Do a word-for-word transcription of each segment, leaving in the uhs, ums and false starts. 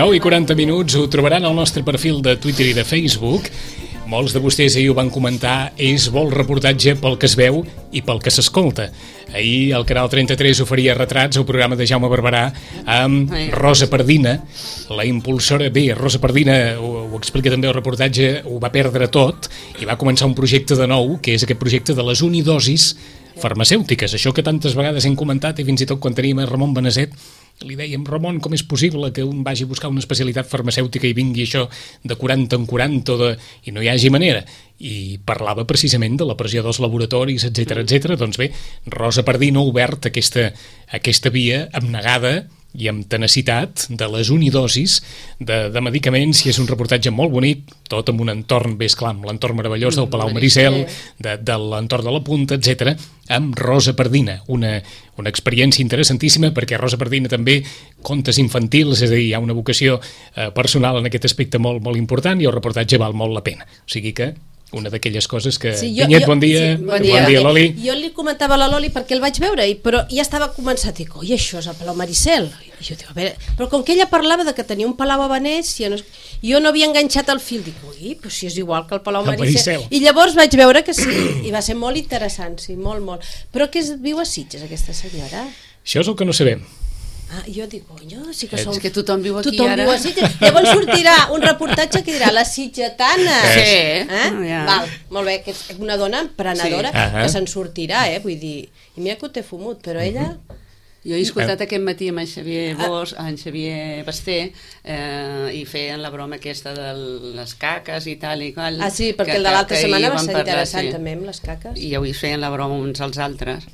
nou i quaranta minuts, ho trobaran al nostre perfil de Twitter i de Facebook. Molts de vostès ahir ho van comentar, és bo el reportatge pel que es veu i pel que s'escolta. Ahir el Canal trenta-tres oferia retrats al programa de Jaume Barberà amb Rosa Pardina, la impulsora. Bé, Rosa Pardina, ho, ho explica també el reportatge, ho va perdre tot i va començar un projecte de nou, que és aquest projecte de les unidosis farmacèutiques, això que tantes vegades hem comentat, i fins i tot quan teníem a Ramon Benazet li dèiem: Ramon, com és possible que un vagi a buscar una especialitat farmacèutica i vingui això de quaranta en quaranta de... i no hi hagi manera? I parlava precisament de la pressió dels laboratoris, etcètera, etcètera. Doncs bé, Rosa Pardina ha obert aquesta, aquesta via abnegada i amb tenacitat de les unidosis de, de medicaments, i és un reportatge molt bonic, tot amb un entorn, bé, esclar, amb l'entorn meravellós del Palau Maricel, de, de l'entorn de la Punta, etcètera, amb Rosa Pardina, una, una experiència interessantíssima, perquè Rosa Pardina també contes infantils, és a dir, hi ha una vocació eh, personal en aquest aspecte molt, molt important, i el reportatge val molt la pena. O sigui que una d'aquelles coses que... Sí, jo, Vinyet, jo, bon dia. Sí, bon dia. Bon dia, Loli. Jo li comentava a la Loli perquè el vaig veure, però ja estava començat, dic, oi, això és el Palau Maricel. I jo dic, a veure, però com que ella parlava de que tenia un palau a Venècia, no, jo no havia enganxat el fil, dic, ui, però si és igual que el Palau Maricel. Maricel. I llavors vaig veure que sí, i va ser molt interessant, sí, molt, molt. Però que es viu a Sitges, aquesta senyora? Això és el que no sabem. Ah, jo dic, conyo, sí que som... És que tothom viu aquí tothom ara. Viu a Sitges. Llavors sortirà un reportatge que dirà la sitgetana. Sí. Eh? Oh, yeah. Val, molt bé, que és una dona emprenedora, sí. que se'n sortirà, eh? Vull dir, i mira que ho té fumut, però ella... Jo he escoltat aquest matí amb en Xavier Bosch, en Xavier Basté, eh, i feien la broma aquesta de les caques i tal i qual. Ah, sí, perquè que, el de l'altra setmana va ser parlar, interessant, sí. també, amb les caques. I avui feien la broma uns als altres.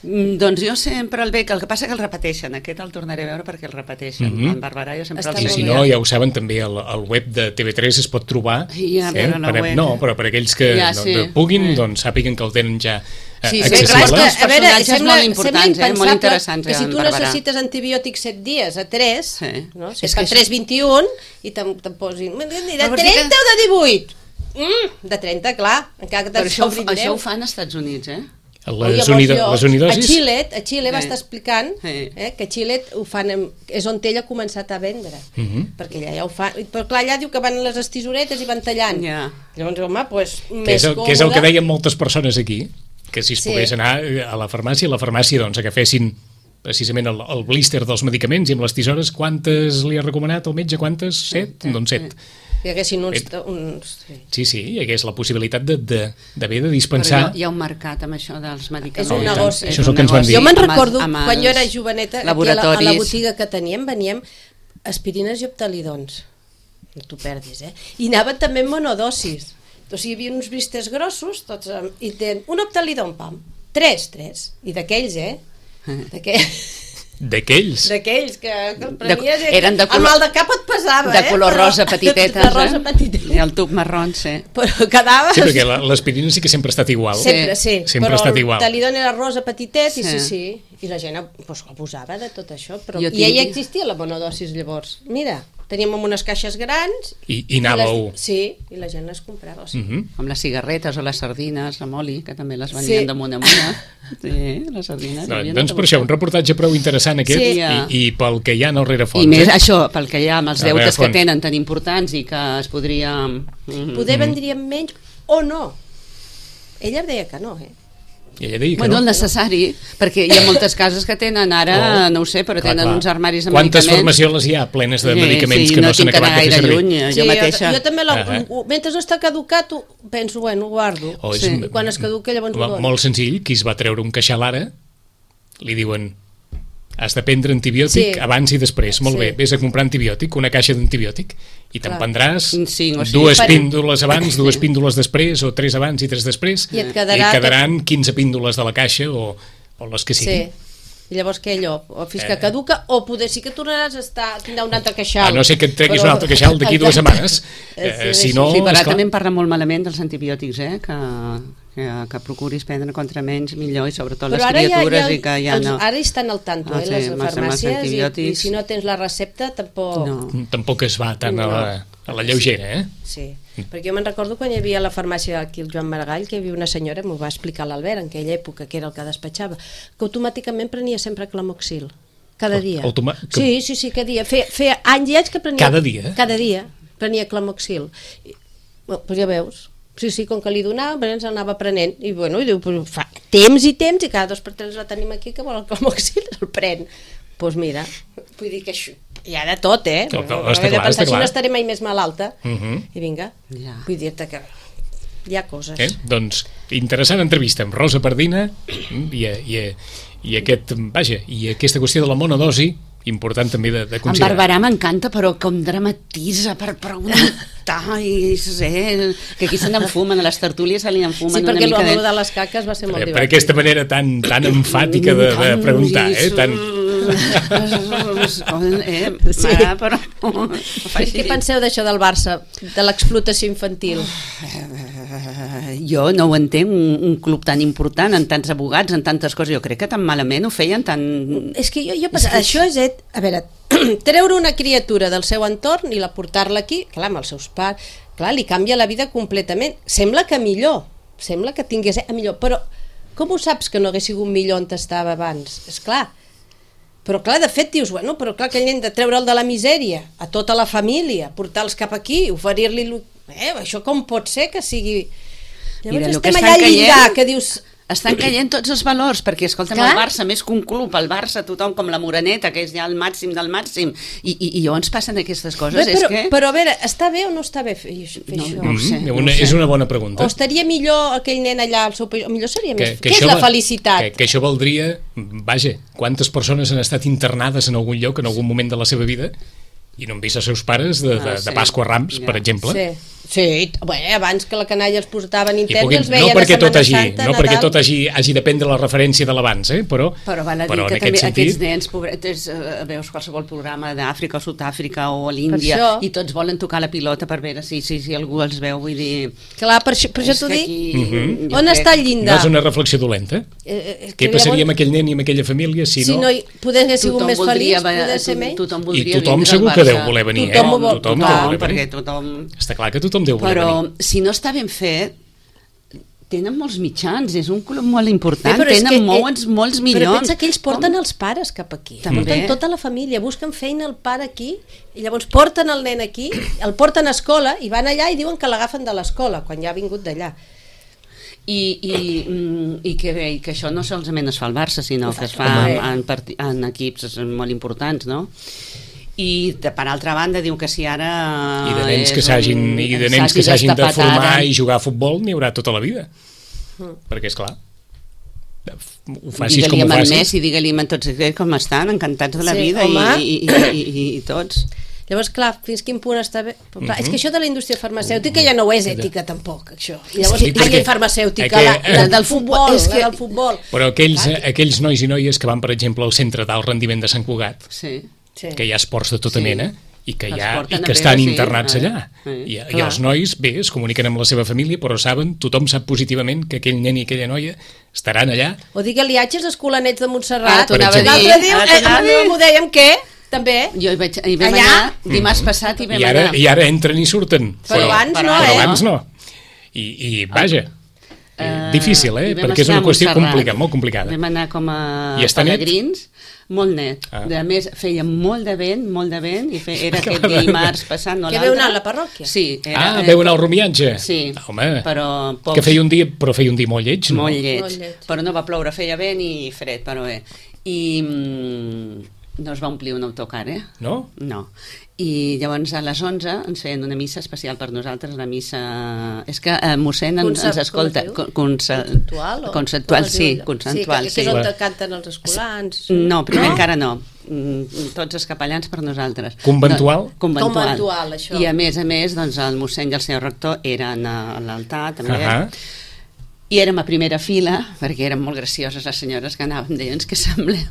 Mm, doncs jo sempre el veig, el que passa que el repeteixen, aquest el tornaré a veure perquè el repeteixen, mm -hmm. en Barberà jo sempre Està el I veig. si no, ja ho saben, també al, al web de T V tres es pot trobar, ja, eh? però la per, web. no, però per aquells que Ja, no, sí. no puguin, Eh. doncs sàpiguen que el tenen ja eh, Sí, sí, accessible. clar, és que, a veure, personatges sembla, molt importants, sembla eh? Molt interessants, que si en tu Barberà. necessites antibiòtics set dies a tres, Sí. no? Si És és que que tres vint i un i te'n te posin de Però trenta que... o de divuit? Mm, de trenta, clar, encara que Però te'n això, sobrin això ho deu. fan als Estats Units, eh? Les, unido, les unidosis... A Xile, a Xile va Sí. estar explicant Sí. eh, que a Xile ho fan, en, és on ella ha començat a vendre, Uh -huh. perquè allà ja ho fan, però clar, allà diu que van les estisoretes i van tallant. Ja. Llavors, home, pues, Que més és, el, còmode. que és el que deien moltes persones aquí, que si es Sí. pogués anar a la farmàcia, a la farmàcia doncs agafessin precisament el, el blister dels medicaments, i amb les tisores, quantes li ha recomanat el metge? Quantes? Set? Doncs set. Hi haguessin uns... uns sí. Sí, sí, hi hagués la possibilitat de, de, d'haver de dispensar... Però hi ha un mercat amb això dels medicaments. És un negoci. Això és el que ens van dir. Jo me'n Amb els- recordo, amb els quan jo era joveneta, aquí a la, a la laboratoris. botiga que teníem, veníem aspirines i optalidons. No t'ho perdis, eh? I anaven també en monodosis. O sigui, hi havia uns blisters grossos, tots, amb, i ten un optalidon, pam. Tres, tres. I d'aquells, eh? D'aquells... D'aquells? D'aquells que, que el prenies... De, eren de color, el mal de cap et pesava, de eh? color Però- rosa petitetes, de rosa eh? petitetes. I el tub marró, sí. Però quedava... Sí, perquè la- l'aspirina sí que sempre ha estat igual. Sempre, sí, Sempre però ha estat el igual. talidon era rosa petitet, sí. i sí, Sí. sí, i la gent pues, abusava de tot això, però... Jo i ja tinc- existia la monodosis llavors. Mira, teníem unes caixes grans... I, i anàveu... les, sí, i la gent les comprava. O sigui. Uh -huh. Amb les cigarretes o les sardines amb oli, que també les venien Sí. damunt amunt. Sí, les sardines. No, havien doncs de per això, un buscar. reportatge prou interessant aquest, Sí. i, i pel que hi ha al rerefons. I més eh? això, pel que hi ha amb els A deutes que rerefons. tenen tan importants i que es podria... Mm. Poder vendríem menys o no. Ella em deia que no, eh? I ella deia que Bueno, el no. necessari, perquè hi ha moltes cases que tenen ara, Oh. no ho sé, però Clar, tenen clar. uns armaris de Quantes medicaments. farmacioles hi ha plenes de Sí, medicaments sí, que no, no s'han tinc que anar acabat de fer gaire servir? lluny, jo sí, mateixa. Jo, jo també, la, Ah, uh, mentre no està caducat, ho, penso, bueno, ho guardo. O és, Sí. I quan es caduca, llavors ho mo- dono. Molt senzill, qui es va treure un queixal ara, li diuen: has de prendre antibiòtic Sí. abans i després. Molt Sí. bé, vés a comprar antibiòtic, una caixa d'antibiòtic, i te'n Clar. prendràs Cinc o sis. dues Per- píndoles abans, dues píndoles després, o tres abans i tres després, I et quedarà i quedaran quinze píndoles de la caixa, o, o les que Sí. siguin. I llavors què, allò? O fins que Eh. caduca, o poder sí que tornaràs a estar, tindrà un altre queixal. A no ser que et treguis Però- un altre queixal d'aquí dues setmanes. Eh, Eh, sí, si no, Sí, però ara esclar, també em parla molt malament dels antibiòtics, eh? que, que, que procuris prendre contra menys millor, i sobretot les Però ara ja, criatures ja, i que ja els, no... ara hi estan al tanto, Ah, eh, sí, les amb els- amb els farmàcies, i, i antibiòtics. si no tens la recepta tampoc... No. tampoc es va tant a la, a la lleugera, eh? Sí, perquè jo me'n recordo quan hi havia a la farmàcia aquí el Joan Maragall, que hi havia una senyora, m'ho va explicar l'Albert en aquella època, que era el que despatxava, que automàticament prenia sempre Clamoxil. cada dia. Automa... Que... Sí, sí, sí, cada dia. Feia, feia anys i anys que prenia... Cada dia? Cada dia prenia Clamoxil. I, bueno, doncs ja veus. Sí, sí, com que li donava, ens anava prenent. I bueno, i diu, pues, fa temps i temps, i cada dos per tres la tenim aquí, que vol el Clamoxil, el pren. Doncs pues mira, vull dir que això... Hi ha de tot, eh? No, no, no, està clar, pensar, està clar. si no estaré mai més malalta. Uh -huh. I vinga, Ja. vull dir-te que hi ha coses. Eh? Doncs interessant entrevista amb Rosa Pardina i, i, i, aquest, vaja, i aquesta qüestió de la monodosi, important també de, de En considerar. Barberà m'encanta, però com dramatitza per preguntar i sé, que aquí se n'enfumen, a les tertúlies se li enfumen Sí, una perquè mica el de... de les caques va ser molt Per, per divertit. aquesta manera tan, tan enfàtica de, de preguntar, eh? Tan... eh, Sí. ah, però... Què penseu d'això del Barça, de l'explotació infantil? Jo no ho entenc, un, un club tan important, amb tants abogats, amb tantes coses, jo crec que tan malament ho feien, tan... És que jo, jo pensava, això és, et, a veure, treure una criatura del seu entorn i la portar-la aquí, clar, amb els seus pares, clar, li canvia la vida completament. Sembla que millor, sembla que tingués a millor, però com ho saps que no hagués sigut millor on estava abans? És clar. Però clar, de fet dius, bueno, però clar, aquell nen de treure'l de la misèria, a tota la família, portar-los cap aquí, oferir-li... Eh, això com pot ser que sigui... Llavors Mira, el estem que allà al estan llindar, caient- que dius... Estan caient tots els valors, perquè, escolta'm, Clar. el Barça, més que un club, el Barça, tothom com la Moreneta, que és ja el màxim del màxim, i, i, i llavors passen aquestes coses, Bé, és però, que... però a veure, està bé o no està bé fer, fer No, això? no ho sé. Mm, una, no sé. és una bona O pregunta. estaria millor aquell nen allà al seu país? O millor seria més... Què és això la va- felicitat? Que, que això valdria, vaja, quantes persones han estat internades en algun lloc en algun moment de la seva vida i no han vist els seus pares de, de, Ah, de sí. Pasqua a Rams, Ja. per exemple. Sí, sí. Bé, abans que la canalla els portaven I interns, puguin, els veien no perquè a tot Setmana hagi, Santa, no perquè Nadal. tot hagi, hagi de prendre la referència de l'abans, eh? però, Però val a dir però que en també aquest sentit... aquests nens, pobretes, eh, veus qualsevol programa d'Àfrica o Sud-àfrica o a Per l'Índia això. i tots volen tocar la pilota per veure si, si, si algú els veu, vull dir... Clar, per això, per això és t'ho que dic. aquí, Mhm. jo On crec- està el No llindar? és una reflexió dolenta. Eh, eh, Què que passaria amb llavors, aquell nen i amb aquella família si, si no... no hi, poder haver sigut Tothom més voldria feliç, va- poder ser to- menys? tothom I voldria tothom vindre al segur que Barça. deu voler venir, Tothom eh? ho vol- Tothom clar, deu voler perquè venir. tothom... Està clar que tothom deu voler Però venir. si no està ben fet, tenen molts mitjans, és un club molt important, Bé, però és tenen que, eh, molts, molts milions. Però pensa que ells porten Com? els pares cap aquí, També. porten tota la família, busquen feina al pare aquí, i llavors porten el nen aquí, el porten a escola, i van allà i diuen que l'agafen de l'escola, quan ja ha vingut d'allà. I, i, mm, i que bé, i que això no solament es fa al Barça, sinó que es fa Home. en, en, parti- en equips molt importants, no? I de, per altra banda diu que si ara I de nens és que s'hagin un- i de nens que s'hagi s'hagin de destapat formar ara, i jugar a futbol n'hi haurà tota la vida. Mm. Perquè, és clar, ho facis digue-li com ho amb en facis. Messi, digue-li amb tots ells com estan, encantats de la Sí, vida home. i, i, i, i, i tots. Llavors, clar, fins quin punt està bé... Però, clar, Mhm. És que això de la indústria farmacèutica ja no ho és ètica, tampoc, això. I llavors, Sí, sí, perquè- perquè, farmacèutica, perquè, la, la eh, del futbol, és que- la del futbol. Però aquells, aquells nois i noies que van, per exemple, al centre d'alt rendiment de Sant Cugat, Sí. Sí. que hi ha esports de tota Sí. mena, i que, Els hi ha, porten i a que veure, estan sí, internats eh? allà. Sí. I, I Clar. els nois, bé, es comuniquen amb la seva família, però saben, tothom sap positivament que aquell nen i aquella noia estaran allà. O digue-li atges escolanets de Ara Montserrat. t'ho anava a dir, L'altre dia, ara t'ho anava a eh, dir. m'ho dèiem, què? També. Jo hi, vaig, hi vam Allà? anar dimarts passat i vam I ara, anar. I ara entren i surten. Però abans no, però eh? abans no. I, i vaja, Eh, difícil, eh? i vam Perquè és estar una a qüestió Montserrat. complicada, molt complicada. Vam anar com a I està net? pelegrins, molt net. Ah. A més, feia molt de vent, molt de vent, i fe, era aquest Clar. dimarts passant, no Que l'altre. veu anar a la parròquia? Sí. Era, Ah, veu anar al romiatge? Sí, Home, però pocs, que feia un dia, però feia un dia molt lleig, no? molt lleig. Molt lleig. Però no va ploure, feia vent i fred, però bé. I mm, no es va omplir un autocar, eh? No? No. I llavors a les onze ens feien una missa especial per nosaltres, la missa... És que eh, mossèn ens, Concep- ens escolta... com es diu? Con, conce- Conceptual? O... Conceptual, com es sí, diu allò? conceptual, sí. sí. Que, que és on Clar. canten els escolans. No, primer encara no. Mm, Tots els capellans per nosaltres. Conventual? No, conventual. Conventual, això. I a més a més, doncs, el mossèn i el senyor rector eren a l'altar, també. Ahà. I érem a primera fila, perquè eren molt gracioses les senyores que anaven, deien que semblem...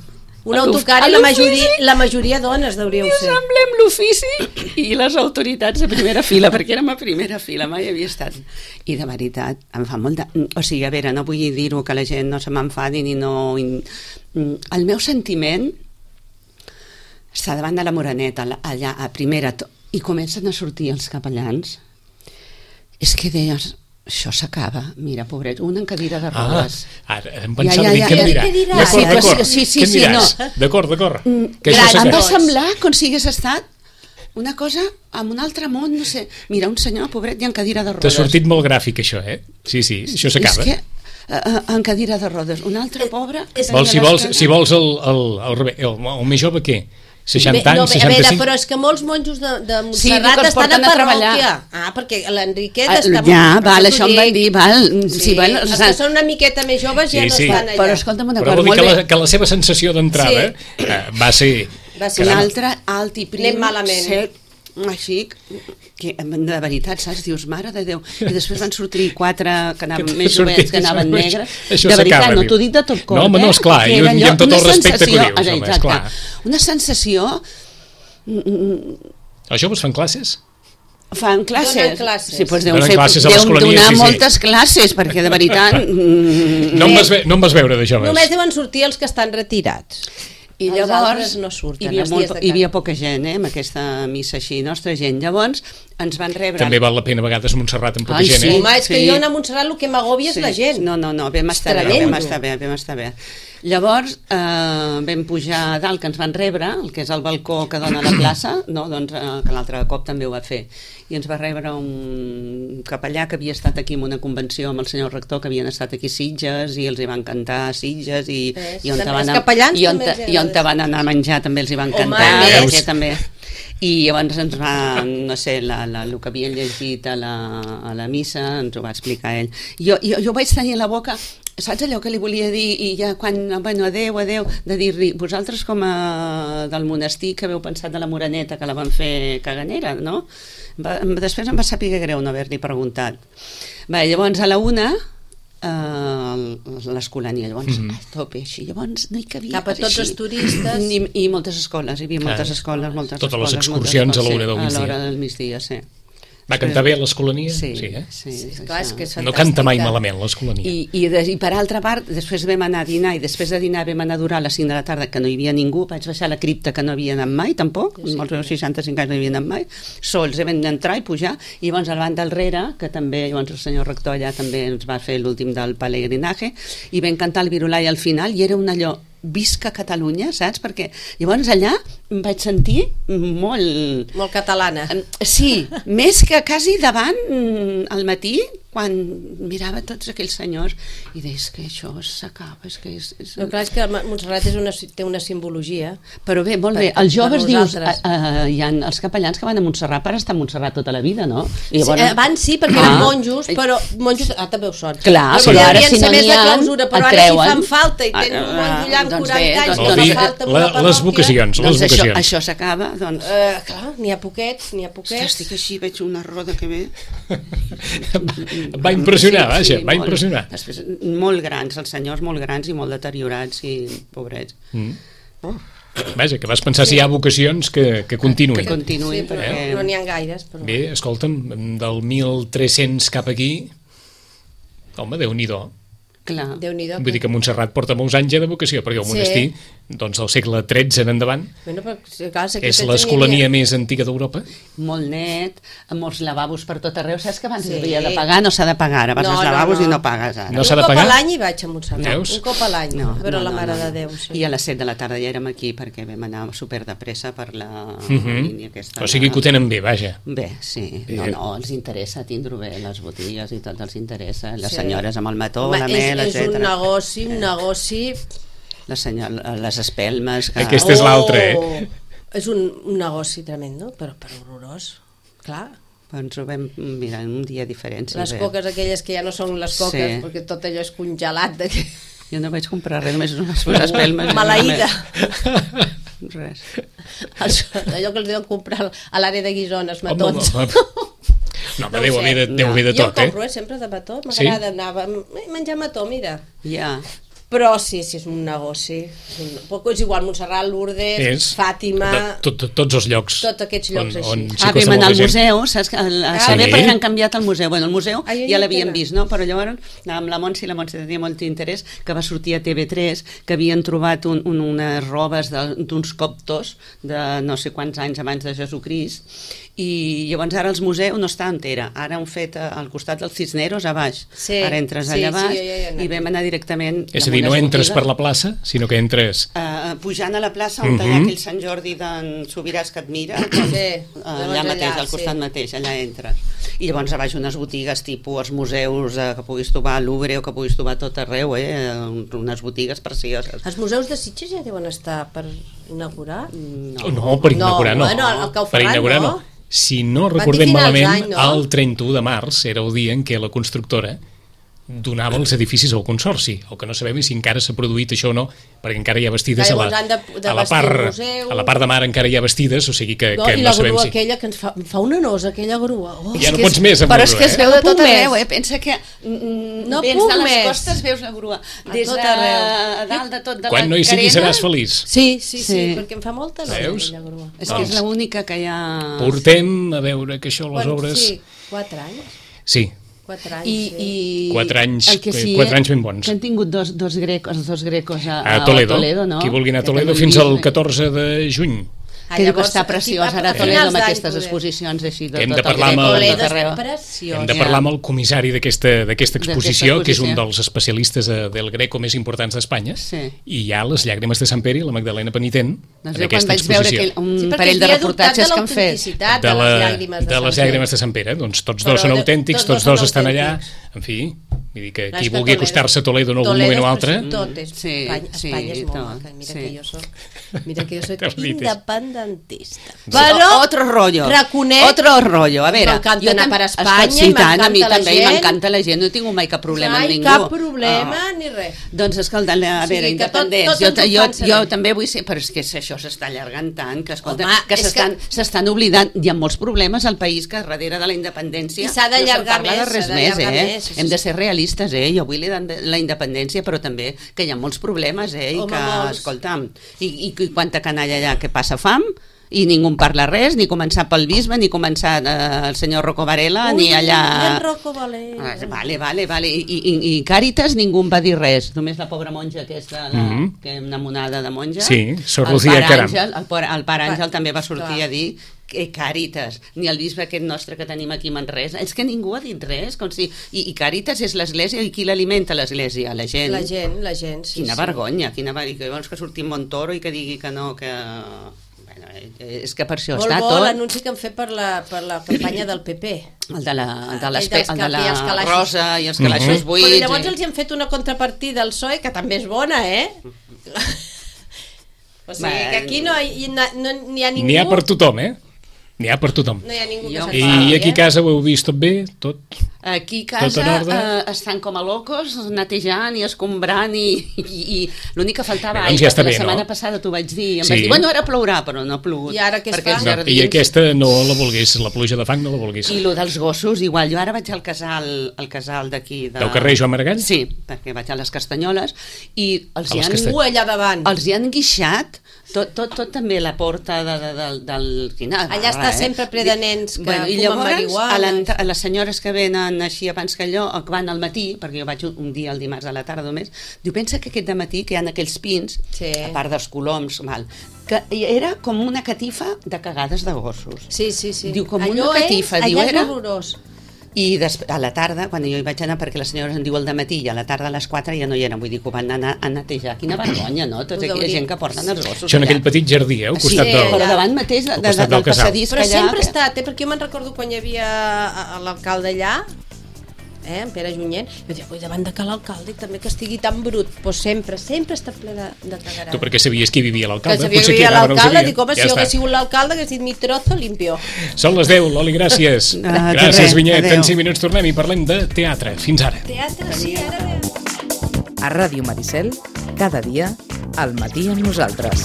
Un a l'of- autocar a i la l'ofici, majoria, la majoria dones deuríeu que ser. semblem l'ofici i les autoritats a primera fila, perquè érem a primera fila, mai havia estat. I de veritat, em fa molt de... O sigui, a veure, no vull dir-ho que la gent no se m'enfadi ni no... El meu sentiment està davant de la Moreneta, allà a primera, to- i comencen a sortir els capellans. És que deies, Això s'acaba, mira, pobret, un en cadira de rodes. Ah, ara em pensava Ja, ja, dir ja, què em ja, dirà. què dirà? D'acord, Sí, d'acord. sí, sí, Què em sí, diràs? no. D'acord, d'acord. Que gran, això Em va s'acaba. semblar com si hagués estat una cosa amb un altre món, no sé. Mira, un senyor, pobret, i en cadira de rodes. T'ha sortit molt gràfic, això, eh? Sí, sí, això s'acaba. És que, uh, en cadira de rodes, un altre pobre... que Vols, si, tenia vols, les si vols el, el, el, rebe- el, el més jove, què? seixanta Bé, no, anys, bé, a veure, seixanta-cinc? però és que molts monjos de, de Sí, Montserrat que els estan a porten a parròquia. treballar. Ah, perquè l'Enriquet Ah, està... ja, val, això em van dir, val. Sí, Sí, val, els o que sigui, són una miqueta més joves ja Sí, no sí. estan allà. Però escolta'm una Però cosa, vol dir molt que bé. la, que la seva sensació d'entrada Sí. eh, va ser... Va ser Un Caram. altre alt i prim, Anem malament. sec, així, que de veritat, saps? Dius, mare de Déu. I després van sortir quatre que anaven Que més sortir- jovents, que anaven això- negres. això De veritat, s'acaba, no diu. t'ho dic de tot cor. No, home, no, eh? esclar, Que i- era i allò, amb tot una el respecte que ho sensació- dius, home, exacte, esclar. Una sensació... Els joves fan classes? Fan classes. Donen classes. Sí, doncs deuen, Donen fer, classes a deuen l'escolania, donar sí, sí. moltes classes, perquè de veritat... mm, No em, vas, ve- no em vas veure de joves. Només deuen sortir els que estan retirats. I Els llavors altres no surten, hi havia, els molt, dies de hi havia camp. poca gent, eh, amb aquesta missa així, nostra gent. Llavors ens van rebre... També val la pena a vegades Montserrat amb poca Ai, gent, sí. eh? Home, és que Sí. jo anar a Montserrat el que m'agòbia és la gent. No, no, no, vam estar bé, tremendo. vam estar bé, vam estar bé. Llavors eh, vam pujar a dalt, que ens van rebre, el que és el balcó que dona a la plaça, no? Doncs, eh, que l'altre cop també ho va fer. I ens va rebre un capellà que havia estat aquí en una convenció amb el senyor rector, que havien estat aquí a Sitges, i els hi van cantar a Sitges, i, Ves, i on te també van, els a- capellans i on també te, els i on te agrada. van anar a menjar també els hi van Home, cantar, veus? perquè també... I llavors ens va, no sé, la, la, el que havien llegit a la, a la missa ens ho va explicar ell. Jo, jo, jo vaig tenir a la boca, saps allò que li volia dir, i ja quan, bueno, adeu, adeu, de dir-li, vosaltres com a del monestir que haveu pensat de la Moreneta, que la van fer caganera, no? Va, després em va saber greu no haver-li preguntat. Va, llavors a la una Uh, l'escolania, llavors Mhm. a tope així, llavors no hi cabia Cap a per tots així. els turistes. I, i moltes escoles, hi havia moltes Ah, escoles, moltes totes les escoles, excursions moltes a l'hora escoles, del sí, migdia. a l'hora del migdia, sí. Va cantar bé a l'escolania? Sí, sí, eh? sí, Sí, sí, clar, és que és No fantàstica. canta mai malament l'escolania. I, i, de, I per altra part, després vam anar a dinar, i després de dinar vam anar a durar a les cinc de la tarda, que no hi havia ningú, vaig baixar a la cripta, que no havia anat mai, tampoc, sí, els meus seixanta-cinc anys no hi havia anat mai, sols vam entrar i pujar, i llavors al banc del rere, que també, llavors el senyor rector allà també ens va fer l'últim del peregrinaje, i vam cantar el virulai al final, i era un allò, visca Catalunya, saps? Perquè llavors allà em vaig sentir molt... Molt catalana. Sí, més que quasi davant mm, al matí, quan mirava tots aquells senyors i deies que això s'acaba, és que és... és... No, clar, és que Montserrat és una, té una simbologia. Però bé, molt bé, Per- els joves per dius, nosaltres. uh, hi ha els capellans que van a Montserrat per estar a Montserrat tota la vida, no? I Sí, eh, abans sí, perquè Ah. eren monjos, però monjos, ah, també ho són. Clar, però, però ara devien si ser no més n'hi de ha, clausura, però et ara si treuen. fan falta i tens Ah, un monjo allà amb doncs quaranta bé, anys, doncs- que Vol no dir, falta en la- una les parròquia. vocacions, les Doncs això, vocacions. això s'acaba, doncs... Eh, clar, n'hi ha poquets, n'hi ha Ostres, poquets. estic així, veig una roda que ve... Va impressionar, vaja, va molt. impressionar. Després, molt grans, els senyors molt grans i molt deteriorats i pobrets. Mm. Vaja, que vas pensar si hi ha vocacions que, que continuïn. Que continuïn, Sí, però perquè- no n'hi ha gaires. Però... Bé, escolta'm, del mil tres-cents cap aquí, home, Déu-n'hi-do. Clar. Déu-n'hi-do. Vull dir que Montserrat porta molts anys ja de vocació, perquè el Sí. monestir, doncs del segle tretze en endavant, Bueno, però, sí, clar, sé que és tens l'escolania n'hi més antiga d'Europa. Molt net, amb molts lavabos per tot arreu. Saps que abans Sí. s'havia de pagar? No s'ha de pagar. Ara vas No, als no, lavabos no. i no pagues ara. No Un s'ha de cop pagar? a l'any hi vaig a Montserrat. Veus? Un cop a l'any, No, a veure no, la no, Mare no, no. de Déu. Sí. I a les set de la tarda ja érem aquí perquè vam anar super de pressa per la Mhm. línia aquesta. O sigui que ho tenen bé, vaja. Bé, sí. Bé. No, no, els interessa tindre bé les botigues i tot els interessa. Les Sí. senyores amb el mató, Home, la és, mel, és un etcètera. negoci, un negoci... Les, senyor, les espelmes... Que... Aquest és l'altre, eh? És un, un negoci tremendo, però, però horrorós. Clar, Ens ho vam mirar un dia diferent. Sí, les bé. coques aquelles que ja no són les coques, Sí. perquè tot allò és congelat. De... Jo no vaig comprar res, només unes espelmes. Maleïda. Res. Els- Allò que els deuen comprar a l'àrea de guisones, Home, matons. home. No, No home, ho deu sé. haver de, deu haver de Jo tot, eh? compro, eh, sempre de mató, Sí? m'agrada anar a menjar mató, mira. Ja. Però sí, sí, és un negoci. És, un... Però és igual, Montserrat, Lourdes, És Fàtima... de, tot, tot, tots els llocs. Tots aquests llocs on, així. on s'hi Ah, acosta vam anar al molta gent. museu, saps? Que el, a Ah, saber sí? perquè han canviat el museu. Bueno, el museu Ah, jo ja no l'havíem tenen. vist, no? Però llavors amb la Montse, la Montse tenia molt interès, que va sortir a T V tres, que havien trobat un, un, unes robes de- d'uns coptos de no sé quants anys abans de Jesucrist, I llavors ara els museus no està on era, ara han fet al costat dels Cisneros a baix, sí, ara entres sí, allà baix sí, ja, ja, ja. i vam anar directament... És a dir, no entres per la plaça, sinó que entres... Uh, pujant a la plaça on uh -huh. hi ha aquell Sant Jordi d'en Sobiràs que et mira, doncs, sí, allà, allà mateix, al costat sí. mateix, allà entres. I llavors a baix unes botigues tipus els museus eh, que puguis trobar a Louvre o que puguis trobar a tot arreu, eh? Unes botigues precioses. Els museus de Sitges ja deuen estar per inaugurar? No, no per inaugurar no. no. Bueno, el que ho faran, per inaugurar no. no. Si no recordem malament, any, no? el trenta-u de març era el dia en què la constructora donava els edificis al Consorci, el que no sabem és si encara s'ha produït això o no, perquè encara hi ha vestides a la, de, de a, la part, a la part de mar encara hi ha vestides, o sigui que no, que no sabem si... I la grua aquella que ens fa, fa una nosa, aquella grua. Oh, ja no pots més amb però la grua, és que es veu eh? de tot arreu, eh? Pensa que mm, no vens de les més. costes, veus la grua. Des tot de arreu. dalt de tot de Quan la no hi siguis carena... seràs feliç. Sí, sí, sí, sí, perquè em fa molta nosa aquella grua. És que és l'única que hi ha... Portem a veure que això, les Quan, obres... Sí, quatre anys. Sí. Quatre anys, I, sí. i quatre anys, el que sí, quatre anys ben bons. Que han tingut dos, dos grecos, els dos grecos a, a, Toledo, a Toledo, no? Qui vulgui anar a Toledo fins al catorze de juny. Ah, que diu que està preciós ara a Toledo amb aquestes exposicions així de hem tot de parlar el amb el, hem de parlar amb el comissari d'aquesta exposició, que és un dels especialistes del Greco més importants d'Espanya, sí. I hi ha les llàgrimes de Sant Pere i la Magdalena Penitent doncs en aquesta exposició. Veure un sí, parell de reportatges que han fet de, la, de les llàgrimes de Sant Pere, doncs tots dos són autèntics, tots dos estan allà, en fi, vull dir que qui vulgui acostar-se a Toledo en algun moment o altre... Tot és, Espanya és molt maca, mira que jo soc mira que jo soc independentista. Però, otro rollo, reconec, otro rollo, a veure, m'encanta anar per Espanya i m'encanta la gent. A mi també m'encanta la gent, no he tingut mai cap problema amb ningú. Cap problema ni res. Doncs escolta, a veure, independents, jo també vull ser, però és que això s'està allargant tant, que escolta, que s'estan oblidant, hi ha molts problemes al país que darrere de la independència no se'n parla de res més, eh? Hem de ser realistes, eh? Jo vull la independència, però també que hi ha molts problemes, eh? I que, escolta'm, i quanta canalla hi ha que passa fam, i ningú en parla res, ni començar pel bisbe, ni començar eh, el senyor Rocco Varela, Ui, ni allà... el Rocco Varela. Ah, vale, vale, vale. I, i, i Càritas ningú en va dir res, només la pobra monja aquesta, la, mm -hmm. que una monada de monja. Sí, Sor Lucía Caram. El, el pare Àngel també va sortir Clar. a dir que Càritas, ni el bisbe aquest nostre que tenim aquí a Manresa, és que ningú ha dit res, com si... I, i Càritas és l'església, i qui l'alimenta l'església? La gent. La gent, la gent, sí. Quina sí. vergonya, quina vergonya, que llavors que surti Montoro i que digui que no, que... és que per això molt està bo, tot... Molt l'anunci que han fet per la, per la campanya del P P. El de la, el de el el de la rosa i els calaixos mm -hmm. buits. Però llavors els hi han fet una contrapartida al P S O E, que també és bona, eh? O sigui, que aquí no hi, no, no, n'hi ha ningú... N'hi ha per tothom, eh? N'hi ha per tothom. No hi ha ningú que jo, s'enfadi, I aquí a eh? casa ho heu vist tot bé? Tot? Aquí a casa eh, estan com a locos, netejant i escombrant i, i, i l'únic que faltava bé, aigua, ja està la bé, setmana no? passada t'ho vaig dir, em sí. vaig dir, bueno, ara plourà, però no ha plogut. I ara què es fa? No, I aquesta no la volgués, la pluja de fang no la volgués. I lo dels gossos, igual, jo ara vaig al casal, al casal d'aquí... De... Del carrer Joan Maragall? Sí, perquè vaig a les Castanyoles i els a hi les han... Castany... allà davant. Els hi han guixat tot, tot, tot també la porta de, de, de, del... Quina allà està eh? sempre ple de nens que bueno, i fumen llavors, marihuana. A, a les senyores que venen així abans que allò, que van al matí, perquè jo vaig un, un dia el dimarts a la tarda només, diu, pensa que aquest dematí que hi ha aquells pins, sí. a part dels coloms, mal, que era com una catifa de cagades de gossos. Sí, sí, sí. Diu, com allò una catifa. És, diu, allà era... és horrorós. I a la tarda, quan jo hi vaig anar, perquè les senyores em diu el dematí, i a la tarda a les quatre ja no hi eren, vull dir que ho van anar a netejar. Quina vergonya, no? Tota aquella gent que porten els gossos això en aquell petit jardí, eh? Al costat sí, del, però davant mateix de, de, de, del passadís però que allà... sempre ha estat, eh? Perquè jo me'n recordo quan hi havia l'alcalde allà, eh, en Pere Junyent, jo dic, ui, davant de que l'alcalde i també que estigui tan brut, doncs sempre, sempre està ple de, de cagarà. Tu perquè sabies qui vivia l'alcalde? Que sabia que vivia l'alcalde, dic, home, ja si jo hagués sigut l'alcalde hagués dit mi trozo limpio. Són les deu, Loli, gràcies. Ah, gràcies, Vinyet. En cinc minuts tornem i parlem de teatre. Fins ara. Teatre, sí, ara... A Ràdio Maricel, cada dia, al matí amb nosaltres.